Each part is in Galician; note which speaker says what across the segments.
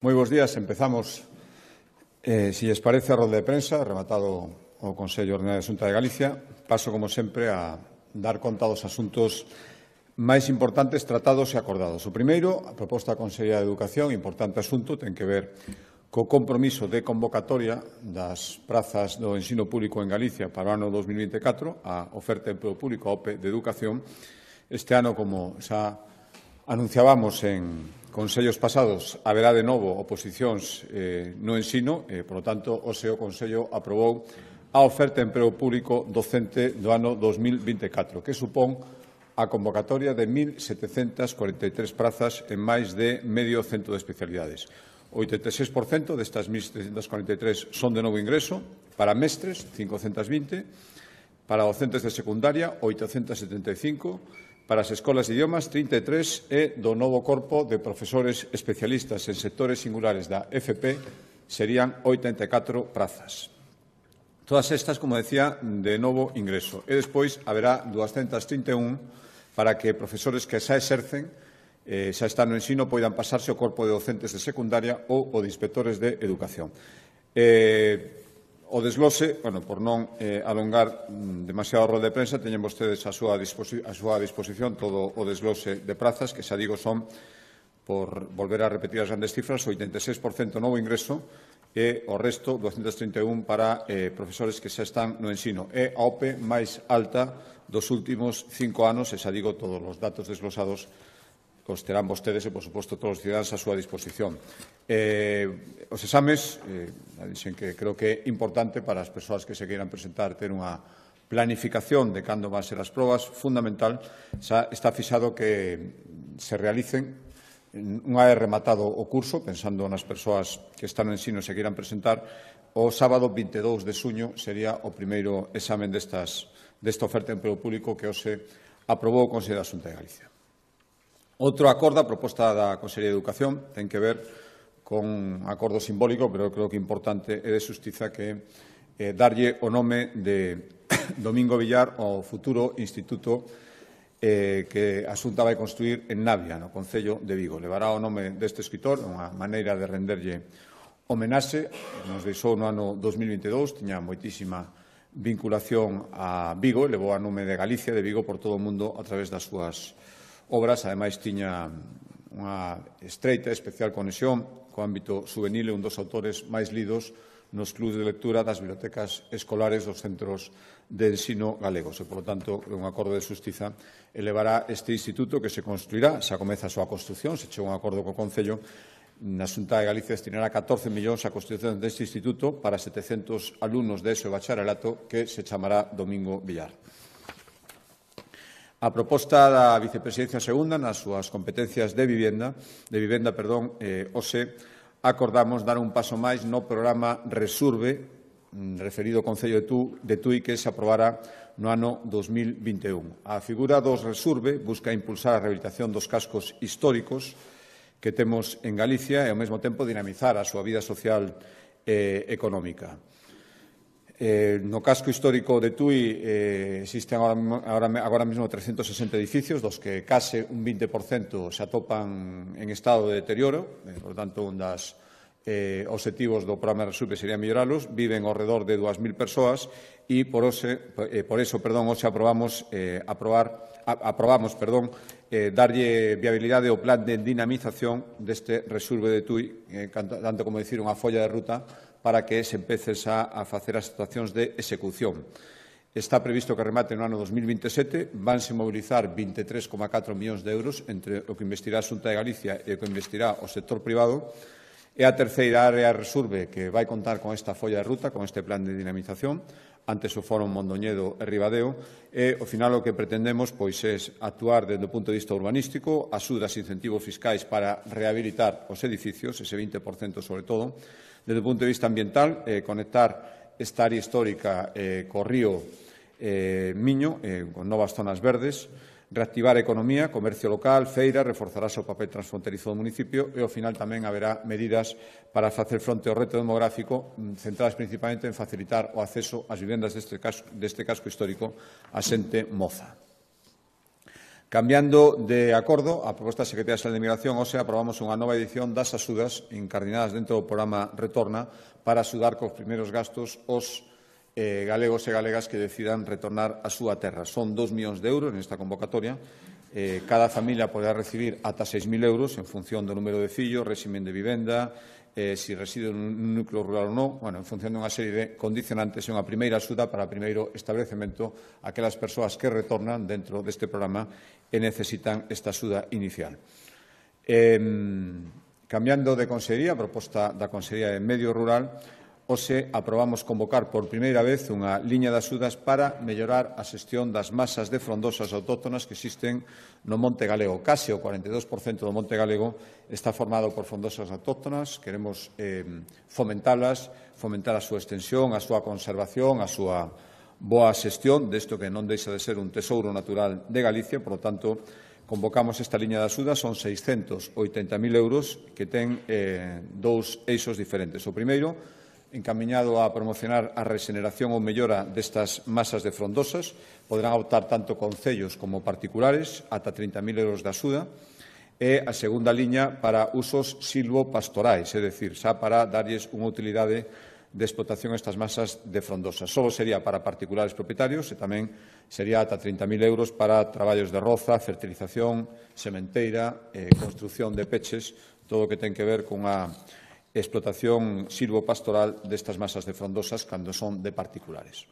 Speaker 1: Moi bons días. Empezamos, si lles parece, a rolda de prensa, rematado o Consello Ordinario da Xunta de Galicia. Paso, como sempre, a dar conta dos asuntos máis importantes tratados e acordados. O primeiro, a proposta da Consellería de Educación, importante asunto, ten que ver co compromiso de convocatoria das prazas do ensino público en Galicia para o ano 2024, a oferta de emprego público, a OPE de Educación. Este ano, como xa anunciábamos en consellos pasados, haberá de novo oposicións no ensino, por lo tanto, hoxe o Consello aprobou a oferta de emprego público docente do ano 2024, que supón a convocatoria de 1.743 prazas en máis de medio cento de especialidades. O 86% destas 1.743 son de novo ingreso, para mestres, 520, para docentes de secundaria, 875, para as escolas de idiomas, 33, e do novo corpo de profesores especialistas en sectores singulares da FP serían 84 prazas. Todas estas, como decía, de novo ingreso. E despois haberá 231 para que profesores que xa exercen, xa están no ensino, poidan pasarse ao corpo de docentes de secundaria ou o de inspectores de educación. O desglose, por non alongar demasiado a rolda de prensa, teñen vostedes a súa disposición todo o desglose de prazas, que xa digo son, por volver a repetir as grandes cifras, o 86% novo ingreso e o resto, 231, para profesores que xa están no ensino. É a OPE máis alta dos últimos 5 anos, e xa digo, todos os datos desglosados os terán vostedes e, por suposto, todos os cidadáns a súa disposición. Os exames, dixen que creo que é importante para as persoas que se queiran presentar ter unha planificación de cando van ser as probas, fundamental. Xa está fixado que se realicen unha vez rematado o curso, pensando nas persoas que están no ensino e se queiran presentar, o sábado 22 de xuño sería o primeiro examen desta oferta de emprego público que hoxe aprobou o Consello da Xunta de Galicia. Outro acordo, a proposta da Consellería de Educación, ten que ver con un acordo simbólico, pero creo que importante, é de xustiza, que darlle o nome de Domingo Villar ao futuro instituto que a Xunta vai construir en Navia, no Concello de Vigo. Levará o nome deste escritor, unha maneira de renderlle homenaxe. Nos deixou no ano 2022, tiña moitísima vinculación a Vigo, levou a nome de Galicia, de Vigo, por todo o mundo a través das súas obras. Ademais, tiña unha estreita e especial conexión co ámbito juvenil, un dos autores máis lidos nos clubs de lectura das bibliotecas escolares dos centros de ensino galegos. E, polo tanto, un acordo de xustiza elevará este instituto que se construirá, xa comeza a súa construción, se chegou un acordo co Concello. Na Xunta de Galicia destinará 14 millóns a construción deste instituto para 700 alumnos de ESO e bacharelato, que se chamará Domingo Villar. A proposta da Vicepresidencia Segunda nas súas competencias de vivenda, hoxe acordamos dar un paso máis no programa Resurbe, referido ao Concello de Tui, que se aprobará no ano 2021. A figura dos Resurbe busca impulsar a rehabilitación dos cascos históricos que temos en Galicia e, ao mesmo tempo, dinamizar a súa vida social e económica. No casco histórico de Tui existen agora mesmo 360 edificios, dos que case un 20% se atopan en estado de deterioro. Por tanto, un dos obxectivos do programa Resurbe sería melloralos. Viven ao redor de 2.000 persoas e por iso hoxe aprobamos darlle viabilidade ao plan de dinamización deste Resurbe de Tui, tanto como dicir unha folla de ruta para que se empece xa a facer as actuacións de execución. Está previsto que remate no ano 2027, vanse mobilizar 23,4 millóns de euros entre o que investirá a Xunta de Galicia e o que investirá o sector privado. É a terceira área Resurbe que vai contar con esta folla de ruta, con este plan de dinamización. Antes o Foro Mondoñedo e Ribadeo, e ao final o que pretendemos é actuar desde o punto de vista urbanístico, axudas e incentivos fiscais para rehabilitar os edificios, ese 20% sobre todo. Desde o punto de vista ambiental, conectar esta área histórica co río Miño, con novas zonas verdes, reactivar a economía, comercio local, feira, reforzarase o papel transfronterizo do municipio e, ao final, tamén haberá medidas para facer fronte ao reto demográfico, centradas principalmente en facilitar o acceso ás vivendas deste casco histórico a xente moza. Cambiando de acordo, a proposta da Secretaría Xeral de Migración, hoxe aprobamos unha nova edición das axudas incardinadas dentro do programa Retorna para axudar cos primeiros gastos os galegos e galegas que decidan retornar á súa terra. Son 2 millóns de euros nesta convocatoria. Cada familia poderá recibir ata 6.000 euros en función do número de fillos, réximen de vivenda, si reside nun núcleo rural ou non, en función dunha serie de condicionantes, é unha primeira axuda para o primeiro establecemento aquelas persoas que retornan dentro deste programa e necesitan esta axuda inicial. Cambiando de consellería, a proposta da Consellería de Medio Rural, hoxe aprobamos convocar por primeira vez unha liña de axudas para mellorar a xestión das masas de frondosas autóctonas que existen no Monte Galego. Case o 42% do Monte Galego está formado por frondosas autóctonas. Queremos fomentalas, fomentar a súa extensión, a súa conservación, a súa boa xestión desto que non deixa de ser un tesouro natural de Galicia. Por lo tanto, convocamos esta liña de axudas, son 680.000 euros que ten dous eixos diferentes. O primeiro, encamiñado a promocionar a rexeneración ou mellora destas masas de frondosas. Poderán optar tanto concellos como particulares, ata 30.000 euros de axuda. E a segunda liña para usos silvopastorais, é dicir, xa para darlles unha utilidade de explotación a estas masas de frondosas. Só sería para particulares propietarios e tamén sería ata 30.000 euros para traballos de roza, fertilización, sementeira, construción de peches, todo o que ten que ver con a explotación silvopastoral destas masas de frondosas cando son de particulares.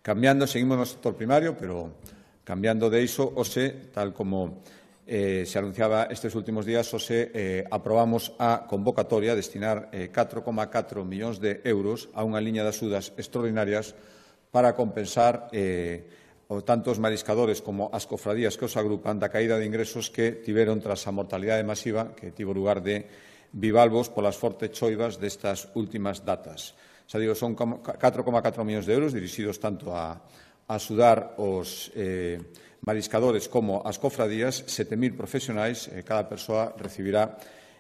Speaker 1: Cambiando, seguimos no sector primario, pero cambiando de iso, hoxe, tal como se anunciaba estes últimos días, hoxe aprobamos a convocatoria destinar 4,4 millóns de euros a unha liña de axudas extraordinarias para compensar tanto os mariscadores como as cofradías que os agrupan da caída de ingresos que tiveron tras a mortalidade masiva que tivo lugar de bivalvos polas fortes choivas destas últimas datas. Xa digo, son 4,4 millóns de euros dirixidos tanto a axudar os mariscadores como as cofradías, 7.000 profesionais, cada persoa recibirá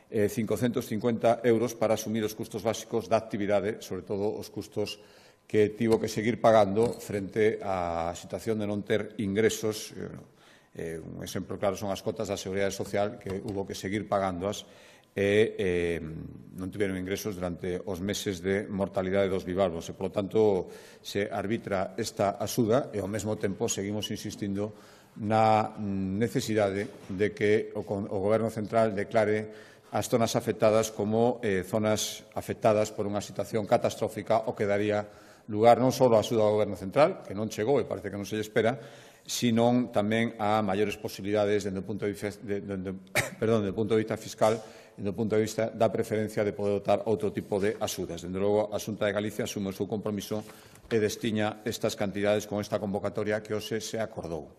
Speaker 1: 550 euros para asumir os custos básicos da actividade, sobre todo os custos que tivo que seguir pagando frente á situación de non ter ingresos. Un exemplo claro son as cotas da Seguridade Social, que hubo que seguir pagándoas e non tiveron ingresos durante os meses de mortalidade dos bivalvos. E, polo tanto, se arbitra esta axuda e, ao mesmo tempo, seguimos insistindo na necesidade de que o Goberno Central declare as zonas afectadas como zonas afectadas por unha situación catastrófica, o que daría lugar non só a axuda do Goberno Central, que non chegou e parece que non se lle espera, sino tamén a maiores posibilidades desde o punto de vista fiscal e do punto de vista da preferencia de poder dotar outro tipo de axudas. Dende logo, a Xunta de Galicia asume o seu compromiso e destiña estas cantidades con esta convocatoria que hoxe se acordou.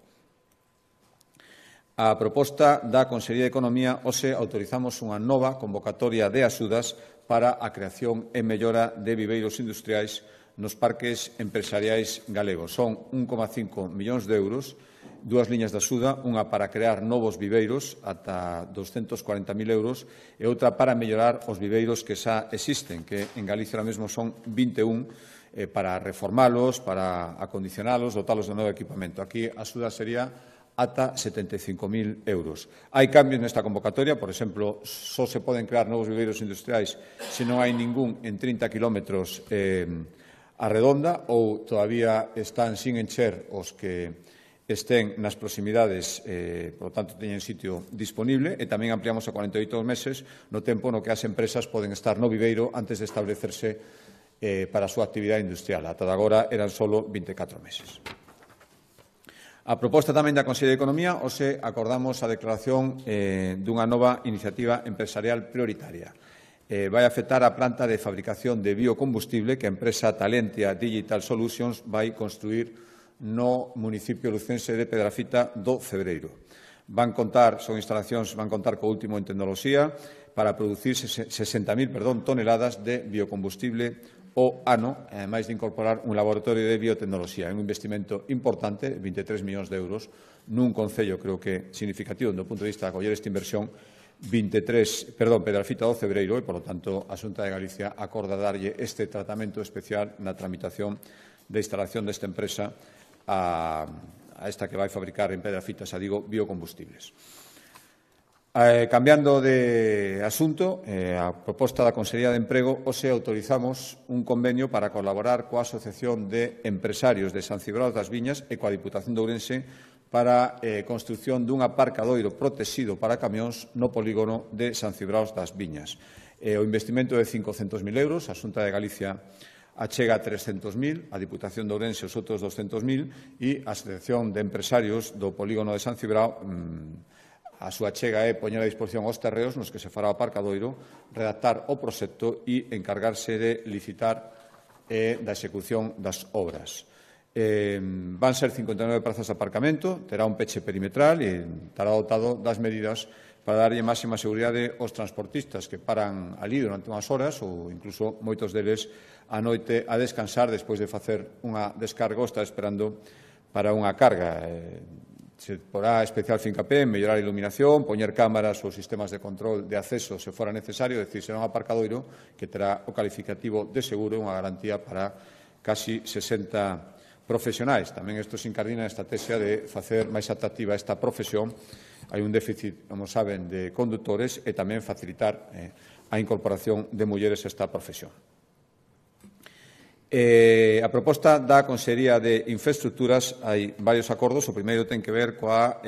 Speaker 1: A proposta da Consellería de Economía, hoxe autorizamos unha nova convocatoria de axudas para a creación e mellora de viveiros industriais nos parques empresariais galegos. Son 1,5 millóns de euros, dúas liñas de axuda, unha para crear novos viveiros ata 240.000 euros e outra para mellorar os viveiros que xa existen, que en Galicia ahora mesmo son 21, para reformalos, para acondicionalos, dotalos de novo equipamento. Aquí a axuda sería ata 75.000 euros. Hai cambios nesta convocatoria, por exemplo, só se poden crear novos viveiros industriais se non hai ningún en 30 kilómetros a redonda ou todavía están sin encher os que estén nas proximidades, por lo tanto, teñen sitio disponible, e tamén ampliamos a 48 meses no tempo no que as empresas poden estar no viveiro antes de establecerse para a súa actividade industrial. Ata agora eran só 24 meses. A proposta tamén da Consellería de Economía, hoxe acordamos a declaración dunha nova iniciativa empresarial prioritaria. Vai afectar a planta de fabricación de biocombustible que a empresa Talentia Digital Solutions vai construir no municipio lucense de Pedrafita do Cebreiro. Son instalacións, van contar co último en tecnoloxía para producir 60.000 toneladas de biocombustible ao ano, ademais de incorporar un laboratorio de biotecnoloxía. É un investimento importante, 23 millóns de euros, nun concello, creo que significativo do punto de vista de acoller esta inversión, Pedrafita do Cebreiro, e, por lo tanto, a Xunta de Galicia acorda darlle este tratamento especial na tramitación de instalación desta empresa a a esta que vai fabricar en Pedrafitas, a Digo, biocombustibles. Cambiando de asunto, a proposta da Consellería de Emprego, hoxe autorizamos un convenio para colaborar coa Asociación de Empresarios de San Cibrao das Viñas e coa Diputación de Ourense para a construción dun aparcadoiro protegido para camións no polígono de San Cibrao das Viñas. O investimento é de 500.000 euros, a Xunta de Galicia achega 300.000, a Diputación de Ourense os outros 200.000 e a Asociación de Empresarios do polígono de San Cibrao a súa chega é poñer a disposición os terreos nos que se fará o aparcadoiro, redactar o proxecto e encargarse de licitar da execución das obras. Van ser 59 prazas de aparcamento, terá un peche perimetral e estará dotado das medidas para darlle máxima seguridade aos transportistas que paran ali durante unhas horas ou incluso moitos deles a noite a descansar despois de facer unha descarga ou estar esperando para unha carga. Se porá especial fincapé en mellorar a iluminación, poñer cámaras ou sistemas de control de acceso se fora necesario, é dicir, será un aparcadoiro que terá o calificativo de seguro, unha garantía para casi 60 profesionais. Tamén isto se incardina na estrategia de facer máis atractiva esta profesión. Hai un déficit, como saben, de condutores e tamén facilitar a incorporación de mulleres a esta profesión. A proposta da Consellería de Infraestructuras hai varios acordos. O primeiro ten que ver coa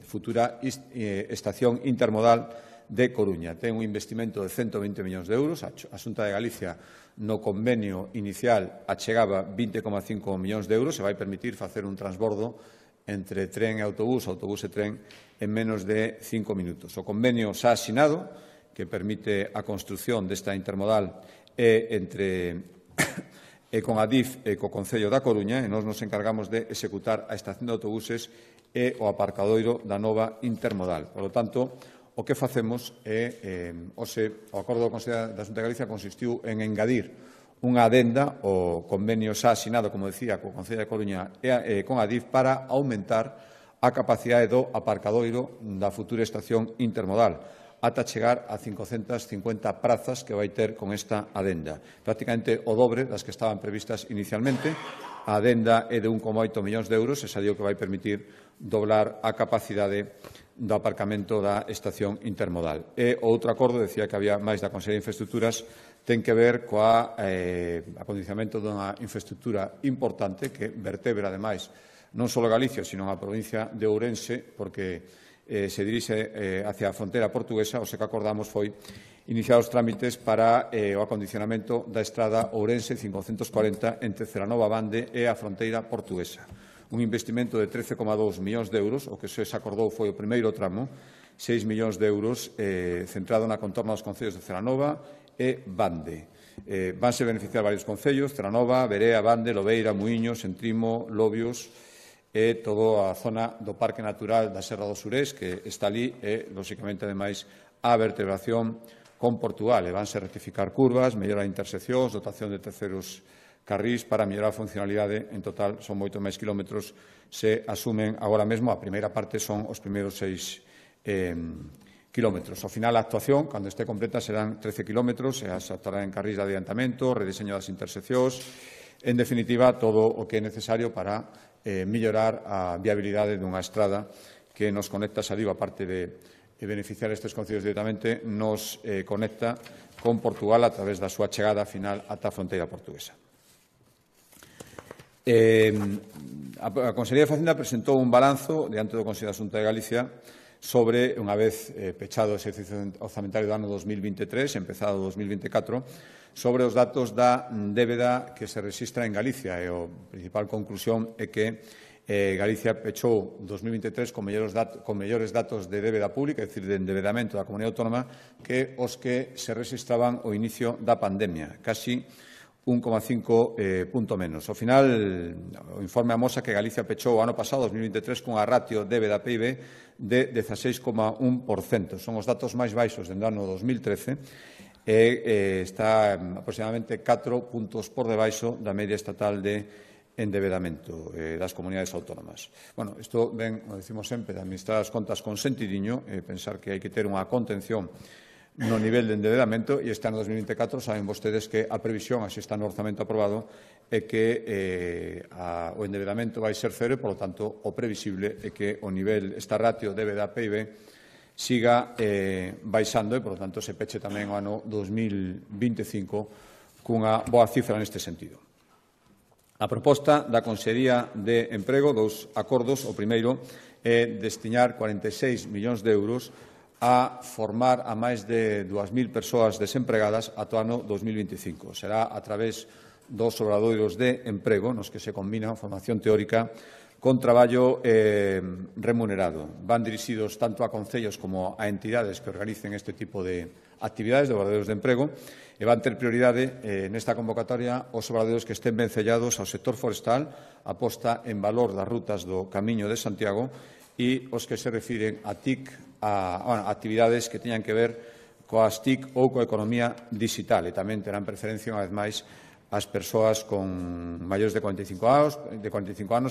Speaker 1: futura estación intermodal de Coruña. Ten un investimento de 120 millóns de euros. A Xunta de Galicia no convenio inicial achegaba 20,5 millóns de euros e vai permitir facer un transbordo entre tren e autobús, autobús e tren, en menos de 5 minutos. O convenio xa asinado, que permite a construción desta intermodal con a DIF e co Concello da Coruña, e nós nos encargamos de executar a estación de autobuses e o aparcadoiro da nova intermodal. Por lo tanto, o que facemos é, o acordo do Consello da Xunta de Galicia consistiu en engadir unha adenda ao convenio xa asinado, como decía, co Concello da Coruña e con a DIF para aumentar a capacidade do aparcadoiro da futura estación intermodal, ata chegar a 550 prazas que vai ter con esta adenda. Prácticamente o dobre das que estaban previstas inicialmente. A adenda é de 1,8 millóns de euros, e xa digo que vai permitir doblar a capacidade do aparcamento da estación intermodal. E o outro acordo, decía que había máis da Consellería de Infraestructuras, ten que ver coa acondicionamento dunha infraestructura importante que vertebra, ademais, non só Galicia, sino a provincia de Ourense, porque se dirixe hacia a fronteira portuguesa. O que acordamos foi iniciar os trámites para o acondicionamento da estrada Ourense 540 entre Celanova Bande e a fronteira portuguesa. Un investimento de 13,2 millóns de euros, o que se acordou foi o primeiro tramo, 6 millóns de euros centrado na contorna dos concellos de Celanova e Bande. Vanse beneficiar varios concellos, Celanova, Berea, Bande, Lobeira, Muíños, Entrimo, Lobios, e toda a zona do Parque Natural da Serra do Surés, que está ali, e, lóxicamente, ademais, a vertebración con Portugal. E vanse rectificar curvas, mellorar interseccións, dotación de terceiros carrís para mellorar a funcionalidade. En total, son moito máis kilómetros. Se asumen agora mesmo, a primeira parte son os primeiros 6 kilómetros. Ao final, a actuación, cando este completa, serán 13 kilómetros, e se actuará en carrís de adiantamento, rediseño das interseccións, en definitiva, todo o que é necesario para mellorar a viabilidade dunha estrada que nos conecta, xa digo, aparte de beneficiar estes concellos directamente, nos conecta con Portugal a través da súa chegada final ata a fronteira portuguesa. A Consellería de Facenda presentou un balanzo diante do Consello da Xunta de Galicia sobre, unha vez pechado o exercicio orzamentario do ano 2023, empezado o 2024, sobre os datos da débeda que se rexistra en Galicia. E a principal conclusión é que Galicia pechou 2023 con mellores datos de débeda pública, é dicir, de endebedamento da Comunidade Autónoma, que os que se rexistraban ao inicio da pandemia, casi 1,5 punto menos. Ao final, o informe amosa que Galicia pechou o ano pasado, 2023, cunha ratio débeda-PIB de 16,1%. Son os datos máis baixos dende o ano 2013 e está aproximadamente 4 puntos por debaixo da media estatal de endebedamento das comunidades autónomas. Bueno, isto ven, como decimos sempre, de administrar as contas con sentidiño, pensar que hai que ter unha contención no nivel de endebedamento, e este ano 2024 saben vostedes que a previsión, así está no orzamento aprobado, é que o endebedamento vai ser cero e, polo tanto, o previsible é que o nivel, esta ratio débeda PIB, siga baixando e, polo tanto, se peche tamén o ano 2025 cunha boa cifra neste sentido. A proposta da Consellería de Emprego, dous acordos. O primeiro é destinar 46 millóns de euros a formar a máis de 2.000 persoas desempregadas ata o ano 2025. Será a través dos obradoiros de emprego nos que se combina formación teórica con traballo remunerado. Van dirixidos tanto a concellos como a entidades que organicen este tipo de actividades de obradoiros de emprego e van ter prioridade nesta convocatoria os obradoiros que estén vencellados ao sector forestal, a posta en valor das rutas do Camiño de Santiago e os que se refiren a TIC, a actividades que teñan que ver coas TIC ou coa economía digital, e tamén terán preferencia, unha vez máis, as persoas con maiores de 45 anos,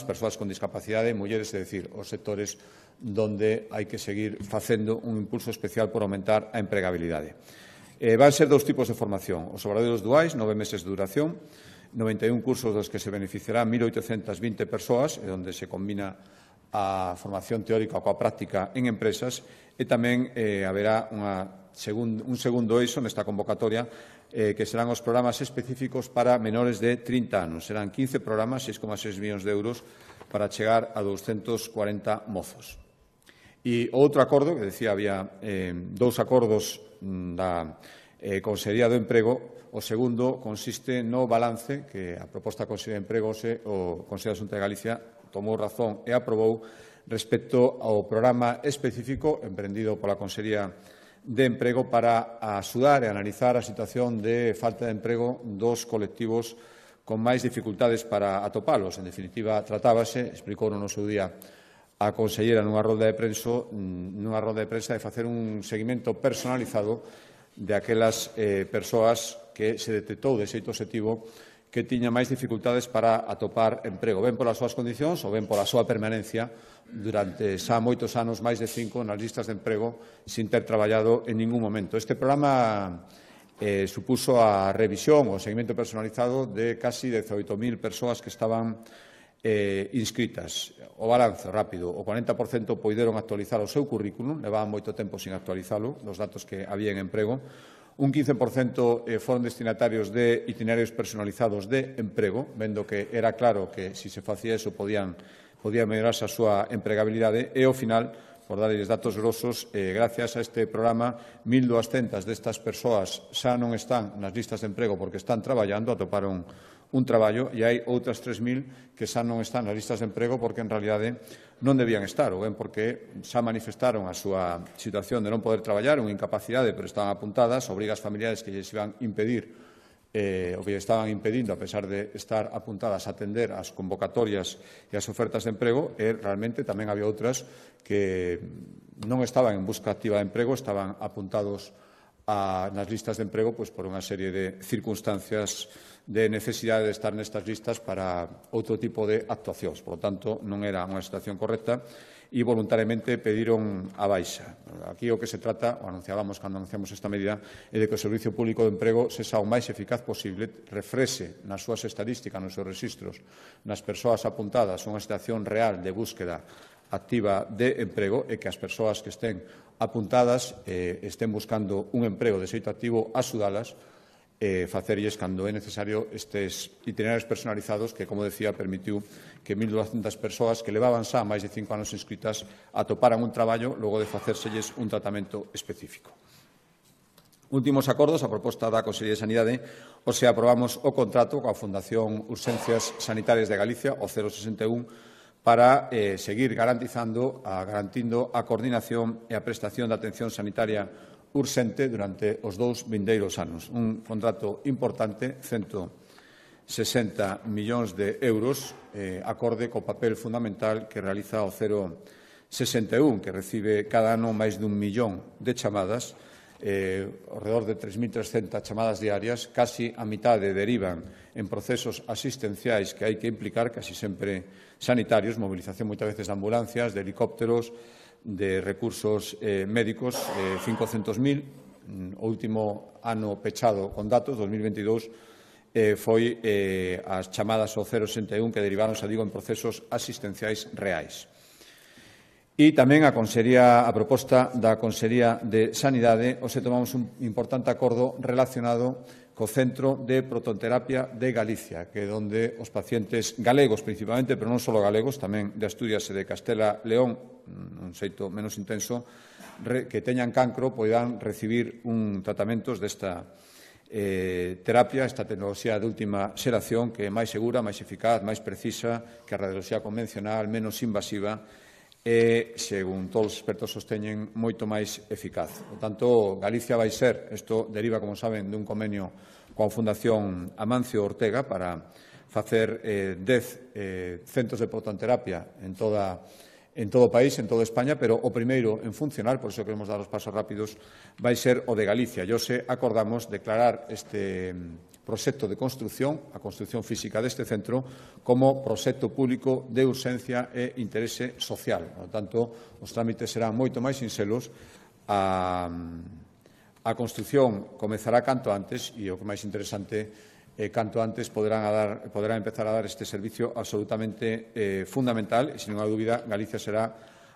Speaker 1: persoas con discapacidade, mulleres, é dicir, os sectores donde hai que seguir facendo un impulso especial por aumentar a empregabilidade. Van ser dous tipos de formación. Os obradoiros duais, 9 meses de duración, 91 cursos dos que se beneficiarán 1.820 persoas, onde se combina a formación teórica coa práctica en empresas, e tamén haberá un segundo eixo nesta convocatoria que serán os programas específicos para menores de 30 anos. Serán 15 programas, 6,6 millóns de euros, para chegar a 240 mozos. E outro acordo, que decía, había dous acordos da Consellería do Emprego. O segundo consiste no balance que a proposta da Consellería de Emprego o Consello da Xunta de Galicia tomou razón e aprobou respecto ao programa específico emprendido pola Consellería de Emprego para axudar e analizar a situación de falta de emprego dos colectivos con máis dificultades para atopalos. En definitiva, tratábase, explicou no seu día a consellera nunha rolda de prensa de facer un seguimento personalizado de aquelas persoas que se detectou de xeito obxectivo que tiña máis dificultades para atopar emprego, ben polas súas condicións ou ben pola súa permanencia durante xa moitos anos, máis de 5, nas listas de emprego, sin ter traballado en ningún momento. Este programa supuso a revisión ou seguimento personalizado de casi 18.000 persoas que estaban inscritas. O balance rápido, o 40% poideron actualizar o seu currículum, levaban moito tempo sin actualizalo, dos datos que había en emprego. Un 15% foron destinatarios de itinerarios personalizados de emprego, vendo que era claro que, se se facía eso, podía mellorarse a súa empregabilidade, e, ao final, por darlles datos grosos, gracias a este programa, 1.200 destas persoas xa non están nas listas de emprego porque están traballando, atoparon un traballo, e hai outras 3.000 que xa non están nas listas de emprego porque, en realidade, non debían estar, ou ben porque xa manifestaron a súa situación de non poder traballar, unha incapacidade, pero estaban apuntadas, obrigas familiares que lles iban impedir o que estaban impedindo, a pesar de estar apuntadas a atender as convocatorias e as ofertas de emprego, e realmente tamén había outras que non estaban en busca activa de emprego, estaban apuntados nas listas de emprego por unha serie de circunstancias de necesidade de estar nestas listas para outro tipo de actuacións. Por lo tanto, non era unha situación correcta e voluntariamente pediron a baixa. Aquí o que se trata, o anunciábamos cando anunciamos esta medida, é de que o Servicio Público de Emprego sexa o máis eficaz posible, refrexe nas súas estadísticas, nos seus registros, nas persoas apuntadas unha situación real de búsqueda activa de emprego, e que as persoas que estén apuntadas estén buscando un emprego de xeito activo, axudalas, facerlles cando é necesario estes itinerarios personalizados que, como decía, permitiu que 1.200 persoas que levaban xa máis de 5 anos inscritas atoparan un traballo logo de facérselles un tratamento específico. Últimos acordos, a proposta da Consellería de Sanidade, aprobamos o contrato coa Fundación Urxencias Sanitarias de Galicia, o 061, para seguir garantindo a coordinación e a prestación de atención sanitaria urxente durante os 2 vindeiros anos. Un contrato importante, 160 millóns de euros, acorde co papel fundamental que realiza o 061, que recibe cada ano máis dun millón de chamadas, alrededor de 3.300 chamadas diarias, casi a mitade derivan en procesos asistenciais que hai que implicar, casi sempre sanitarios, movilización moitas veces de ambulancias, de helicópteros, de recursos médicos, 500.000, o último ano pechado con datos, 2022, foi as chamadas ao 061 que deriváronse, digo, en procesos asistenciais reais. E tamén a proposta da Consellería de Sanidade, hoxe tomamos un importante acordo relacionado co Centro de Protonterapia de Galicia, que é onde os pacientes galegos, principalmente, pero non só galegos, tamén de Asturias e de Castela León, un xeito menos intenso, que teñan cancro, poidan recibir tratamentos desta terapia, esta tecnoloxía de última xeración, que é máis segura, máis eficaz, máis precisa que a radioloxía convencional, menos invasiva e, según todos os expertos sosteñen, moito máis eficaz. Por tanto, Galicia vai ser, isto deriva, como saben, dun convenio coa Fundación Amancio Ortega para facer 10 centros de protonterapia en todo o país, en toda España, pero o primeiro en funcionar, por iso queremos dar os pasos rápidos, vai ser o de Galicia. E hoxe acordamos declarar este proxecto de construción, a construción física deste centro, como proxecto público de urxencia e interese social. Por tanto, os trámites serán moito máis sinxelos. A construción comezará canto antes e o que máis interesante canto antes poderá empezar a dar este servicio absolutamente fundamental e, sin ninguna dúbida, Galicia será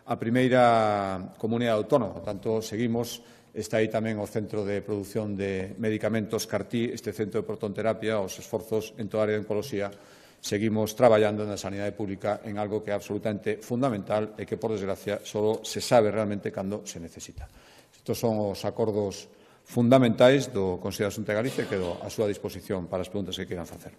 Speaker 1: a primeira comunidade autónoma. Por tanto, seguimos, está aí tamén o Centro de Produción de Medicamentos CAR-T, este Centro de Protonterapia, os esforzos en toda a área de oncoloxía, seguimos traballando na sanidade pública en algo que é absolutamente fundamental e que, por desgracia, só se sabe realmente cando se necesita. Estos son os acordos fundamentais do Consello da Xunta de Galicia e quedo á súa disposición para as preguntas que queiran facer.